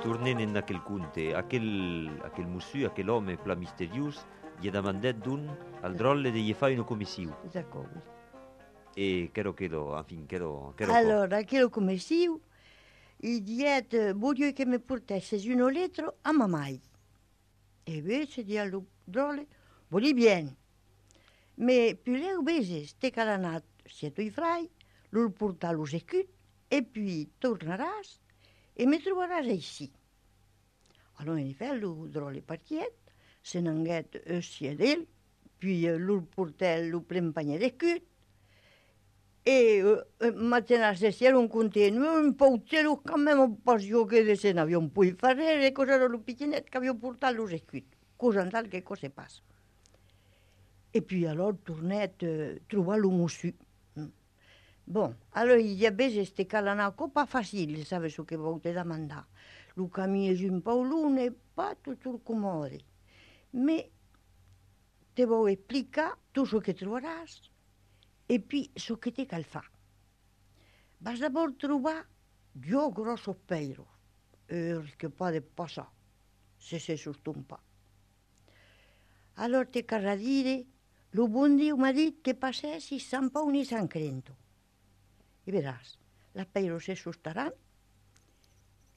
tornant en aquel conte, aquel monsieur, aquel home pla misteriós, gli ha demandat d'un al drolle de gli fare una commissione. D'accordo. E quero, enfin, quero Allora, aquilo commissione, il diet, voglio che mi portassi un letro a mamai. E invece di allo drole, voglio bene. Ma più le bese, ste calanat, siete i frai, lo porta lo secut, e poi torneras e mi troveras ici. Allora, in effetti, lo drole partiet, se n'anguet siedel, puis lo portel, lo prempagna de cut, e mattina se si era un continuo, un poucero quand même pas io che de se n'avion poi fare, cosa era lo piccinet che avevo portato lo secut, cosa andal che cosa passa. E puis alors tornet trobar lo monsieur. Bon, allora gli abese ste calanaco pas facile, sabe so che volte da mandare. Lo cammino giù un paolone, pas tutto comode. Ma te vuoi spiegare tutto ciò che troveras e poi ciò che te cal fa. Vas d'abord trobar due grossi peiros, che può passare, se si sustumpa. Allora te carra dire, lo buon Dio mi ha detto che passessi San Paolo e San Crento. E verás, la peiros se sustaran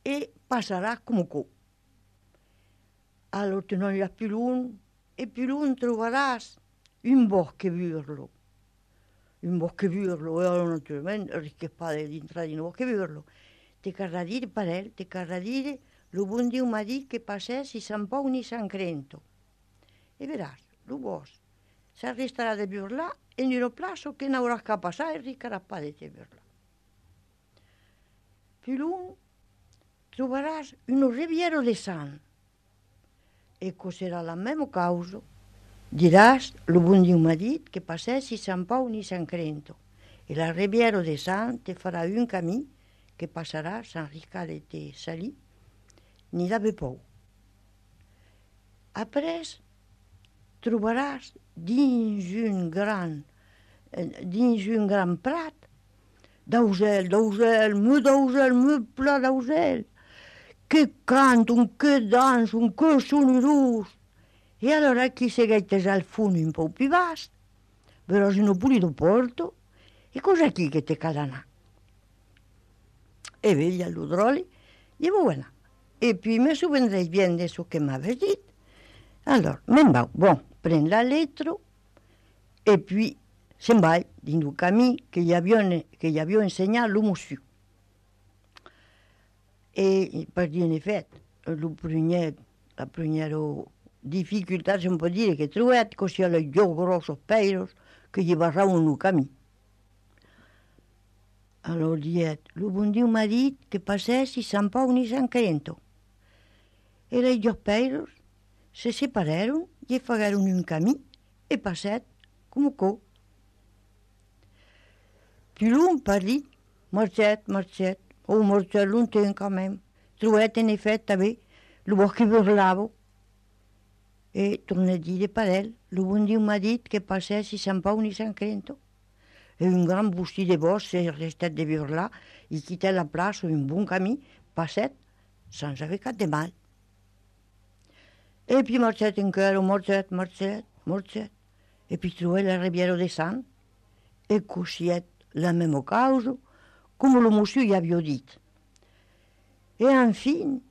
e passarà come co. Allora te non più lungo e più lungo troveras un bosco burlo. Un bosco burlo, e allora naturalmente rischiare di entrare in un bosco burlo. Te carra dire, parel, te carra dire, lo buon Dio mi ha detto che passessi San Paolo e San Crento. E verás, lo bosco si arresterà di burlà e in un plazo che non avrà che passare e ricarapà di te burlà. Più lungo troveras un riviero di San. E cos'era la mesma causa. Diràs, lo buon Dio m'ha dit che passessi San Paolo e San Crento. E la riviera di San te farà un camí che passarà sans riscar de te salir ni d'aver por. Après, trobaràs dins un gran prat d'ausel, molt pla d'ausel, que canten, que dansen, que sonorós. E allora chi seguettes al fune un po' più vasto, verràs un pulito porto, e cosa chi che te calanà? E vedi all'udroli, e buona. E poi mi souvendrei bien de so che m'avais dit. Allora, me'n vau, bon, pren la lettre, e puis se'n va dins el camí que gli havia ensenyat lo monsieur. E per dir, en effet, la primera difficultat, se può dire, che trobat, che sia les dos grossos peiros que gli barraven el camí. Allora diet, lo bon Dio m'ha dit que passessi San Paolo e San Crento. E les dos peiros se separaron i fagaren un camí e passet com co. Più l'un parlit, marchet, marchet lointain quand même. Trobat en effet també lo bosc burlavo. E torna a dire parel, lo bon Dio m'ha dit que passessi San Paolo e San Crento. E un gran bosquí de bosc s'è restat de burlar i quitta la plaça un bon camí, passet, sans haver cap de mal. E puis marchet encara, marchet. E puis trobat la riviera de San, e cosiet la mesma causa, com lo monsieur ja havia dit. E enfin,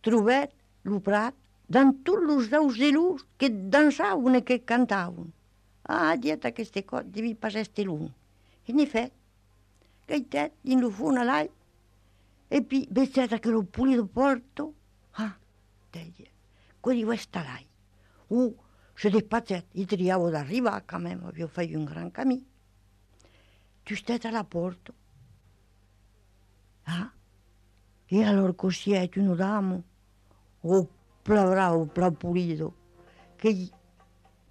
trobat lo prat dans tots los auselus que dansaven e que cantaven. Ah, dieta aquesta cosa, devia passar este lung. En effet, gaitet, din lo fon a l'all, e puis vezzet que lo pulido porto, ah, deia, quelli va estar l'all. Se despatzet, i triavo d'arribar, quand même, havia fet un gran camí. Justet a la porta. Ah, e allora cosiet, un damo, pla bravo, pla pulido, che